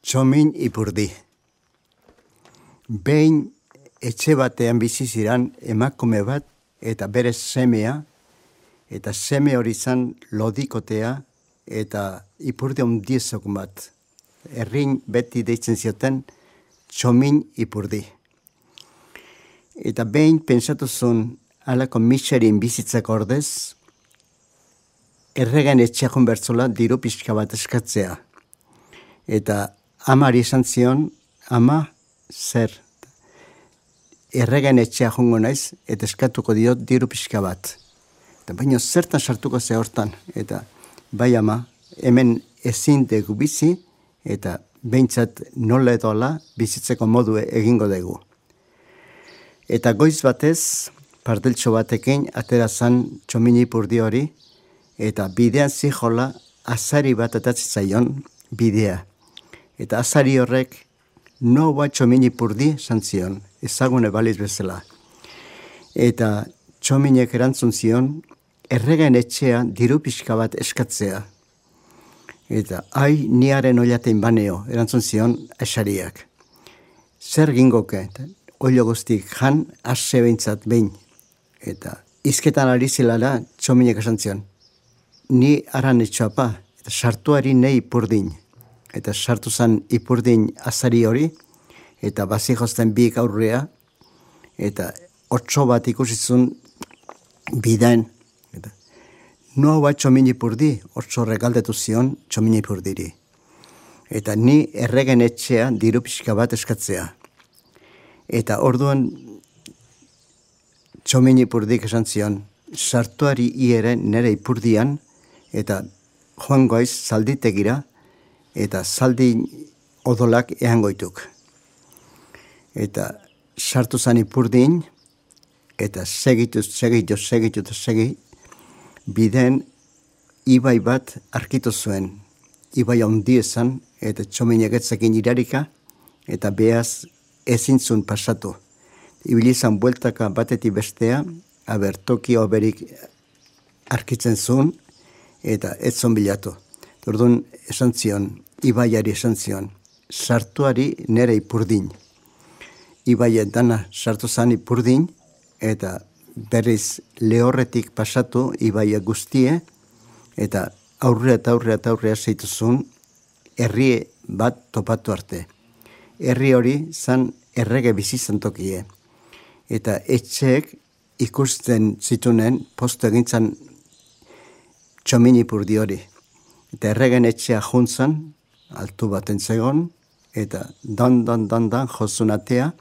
Txomin Ipurdi. Behin etxe batean bizi ziran emakume bat eta bere semea, eta seme hori zan lodikotea eta ipurdi ondiezok bat. Errin beti deitzen zioten Txomin Ipurdi. Eta behin pentsatu zuen alako miserin bizitzak ordez, erregen etxeakon bertzola diru pixka bat eskatzea. Eta amari esan zion, ama zer, erregen etxea jongo naiz, eta eskatuko diot diru pixka bat. Eta baina zertan sartuko ze hortan, eta bai ama, hemen ezin dugu bizi, eta behintzat nola edola bizitzeko modu egingo dugu. Eta goiz batez, parteltxo batekin, atera zan Txomin Ipurdi hori, eta bidean zijola azari bat atatzen zaion bidea. Eta azari horrek, noa Txomin Ipurdi zantzion, ezagune baliz bezala. Eta Txominek erantzun zion, erregen etxea diru pixka bat eskatzea. Eta niaren oliatein baneo, erantzun zion esariak. Zer gingoke, olio guztik jan, ase behintzat behin. Eta izketan ari zilala Txominek esan zion, ni aran etxoapa, eta sartuari nei Ipurdin. Eta sartu zan Ipurdin azari hori, eta bazijozten bi aurrea, eta otso bat ikusizun bidaen. Noa bat Txomin Ipurdi, otso regaldetu zion Txomin Ipurdiri. Eta ni erregen etxea diru pixka bat eskatzea. Eta orduan Txomin Ipurdik esan zion, sartuari iere nere Ipurdian, eta joan goiz zalditegira, eta zaldi odolak eangoituk. Eta sartu zan Ipurdin, eta segitu, biden ibai bat arkitu zuen. Ibai handi esan, eta Txominek etzekin irarika, eta behaz ezin zuen pasatu. Ibilizan bueltaka batetik bestea, toki oberik arkitzen zuen, eta ez zon bilatu. Orduan esan zion, ibaiari esan zion, sartuari nere Ipurdin. Ibaiet dana sartu zan Ipurdin, eta berriz lehorretik pasatu ibaia guztie, eta aurrea zeituzun herri bat topatu arte. Herri hori zan errege bizizan tokie. Eta etxeek ikusten zitunen postu egintzan Txomin Ipurdi hori. Eta erregen etxea juntzan, altu baten zegon, eta dan jozun atea,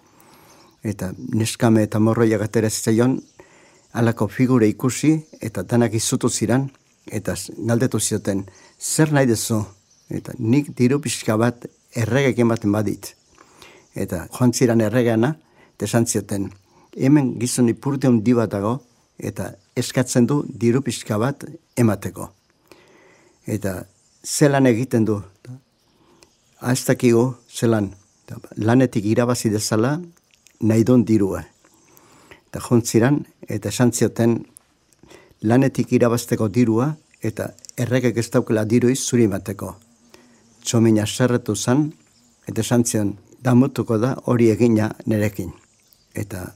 eta neskame eta morroiak atera zitzaion, alako figure ikusi, eta danak izutu ziran, eta galdetu zioten, zer nahi dezu? Eta nik diru pixka bat erregek ematen badit. Eta joan ziran erregeana, eta esan zioten, hemen gizon Ipurdi handi bat dago, eta eskatzen du diru pixka bat emateko. Eta zelan egiten du? Ez dakigu zelan, lanetik irabazi dezala, nahi duen dirua. Eta jontziran, eta esan zioten, lanetik irabazteko dirua, eta erregek ez daukela diruiz zuri emateko. Txomina zerretu zan, eta esan zion, damutuko da hori egina nerekin. Eta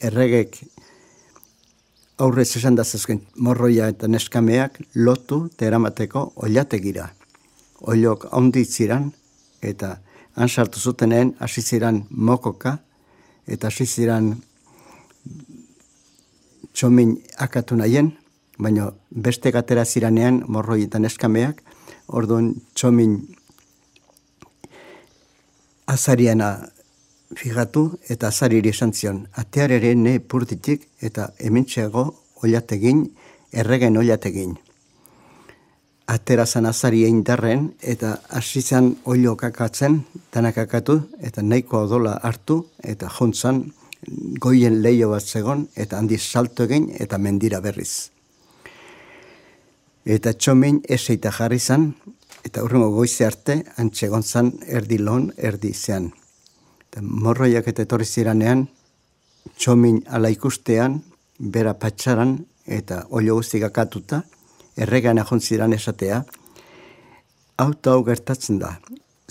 erregek aurrez esan dazazken morroia eta neskameak lotu eta eramateko oliategira. Oliok onditziran, eta han sartu zutenen hasi ziran mokoka, eta hasi ziran Txomin akatu nahien, baina beste gatera ziranean morroi eta neskameak, orduan Txomin azariana fijatu eta azariri esan zion, atearere ne Ipurditik eta hementxeago oliategin, erregen oliategin. Atera zan azari indarren eta hasi zan olio kakatzen, danak akatu eta nahiko odola hartu eta jontzan goien leio bat zegon eta handi salto egin eta mendira berriz. Eta Txomin eseita jarri zan eta urrengo goize arte antxegon zan erdi lon, erdi zean. Eta morroiak eta etorri ziranean Txomin ala ikustean, bera patxaran eta olio guztik akatuta, erregean ahon ziran esatea, hau gertatzen da.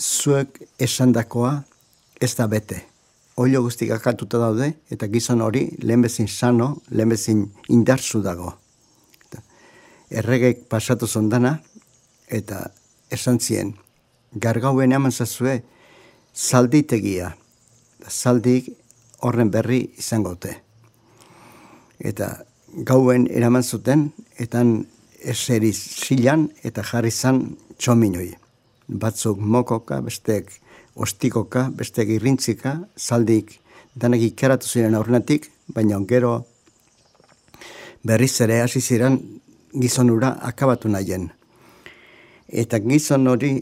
zuek esandakoa ez da bete. Oilo guztik akatuta daude, eta gizon hori lehenbezin sano, lehenbezin indartsu dago. Erregek pasatu zondana, eta esan zien, gargauen eman zazue zalditegia. Zaldik horren berri izangote. Eta gauen eraman zuten, etan eseri zilan eta jarri zan txominoi. Batzuk mokoka, bestek ostikoka, bestek irrintzika, zaldik danak ikeratu ziren aurrenatik, baina gero berriz ere hasi ziren gizon hura akabatu nahien. Eta gizon hori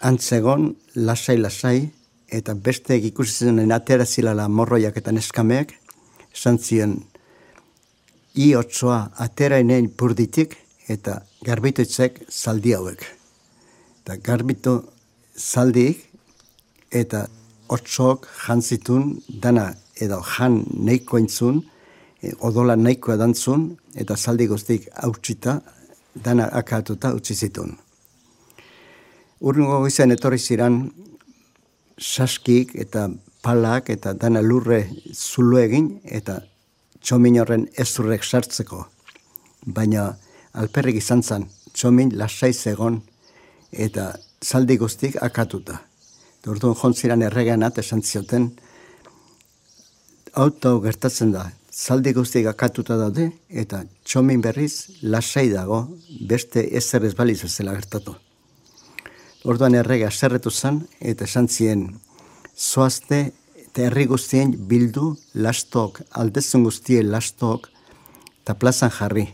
antzegon lasai-lasai, eta bestek ikusi zenen atera zilala morroiak eta neskameak, esan ziren, I otsoa aterainen purditik eta garbitoitzek zaldi hauek. Eta garbito zaldik eta otsok jantzitun dana edo jan neiko entzun, odola neiko edantzun, eta zaldi guztik hautsita dana akatuta utzi zitun. Urrungo goizean etorri ziren saskik eta palak eta dana lurre zulu egin eta txomin horren ezurrek sartzeko. Baina alperrik izan zen, txomin lasai zegon eta zaldi guztik akatuta. Orduan jontziran erregeanat esan zioten, auto gertatzen da, zaldi guztik akatuta daude eta txomin berriz lasai dago beste ezer ez baliz bezala gertatu. Orduan errege aserretu zen eta esan zien, zoazte eta herri guztien bildu lastok, aldezun guztien lastok, eta plazan jarri.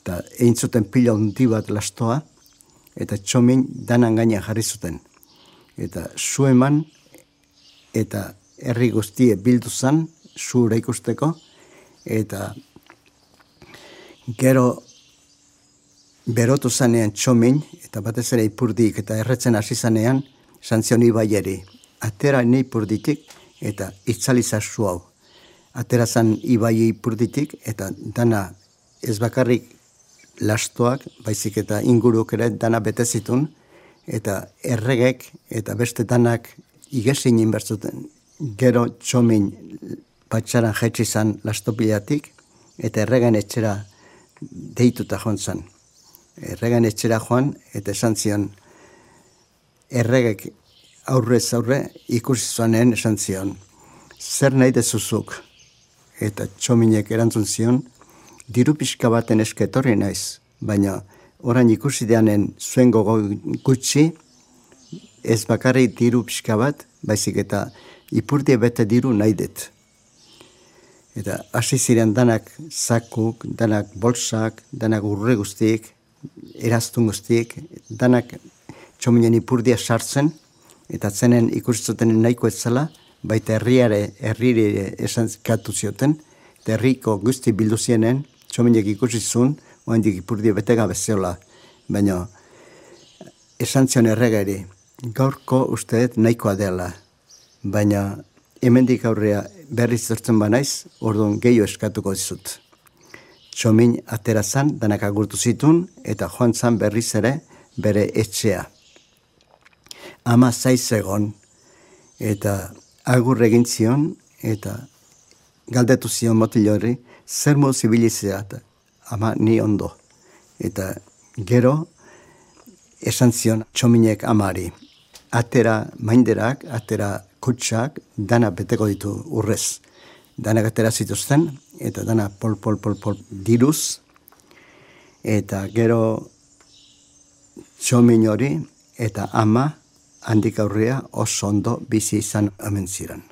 Eta egin zuten pila hundi bat lastoa, eta txomin danan gainean jarri zuten. Eta zu eman, eta herri guztie bildu zan, zuura ikusteko, eta gero berotu zanean txomin, eta batez ere ipurdik, eta erretzen hasi zanean, santzion ibaieri. Atera nei purditik eta itzaliza zu hau. Atera zan ibai purditik eta dana ez bakarrik lastoak, baizik eta inguruk ere dana betezitun, eta erregek eta beste danak igesin inbertzuten. Gero txomin patxaran jaitsi zan lastopilatik eta erregen etxera deituta joan zan. Erregen etxera joan eta esan zion erregek aurrez aurre ikusi zuanen esan zion, zer nahi dezuzuk? Eta txominek erantzun zion, diru pixka baten esketorri naiz, baina orain ikusi deanen zuen gogo gutxi, ez bakarrik diru pixka bat, baizik eta ipurdie bete diru nahi dut. Eta hasi ziren danak zakuk, danak bolsak, danak urre guztiek, eraztun guztiek, danak txominen ipurdia sartzen, eta zenen ikusten nahiko ez zela, baita herrire esan katu zioten, eta herriko guzti bildu zienen, txominek ikusi zuen, oendik ipurdia betega bezeola. Baina esan zion erregari, gaurko usteet nahikoa dela, baina hemendik aurrea berriz zertzen banaiz, orduan gehiago eskatuko dizut. Txomin atera zan, danak agurtu zitun, eta joan zan berriz ere bere etxea. Ama zaiz egon, eta agur egin zion, eta galdetu zion motil horri, zer modu zibilizea, ama ni ondo. Eta gero, esan zion txominek amari, atera mainderak, atera kutsak, dana beteko ditu urrez. Danak atera zituzten, eta dana pol diruz, eta gero txomin hori, eta ama, handik aurrea oso ondo bizi izan omen ziren.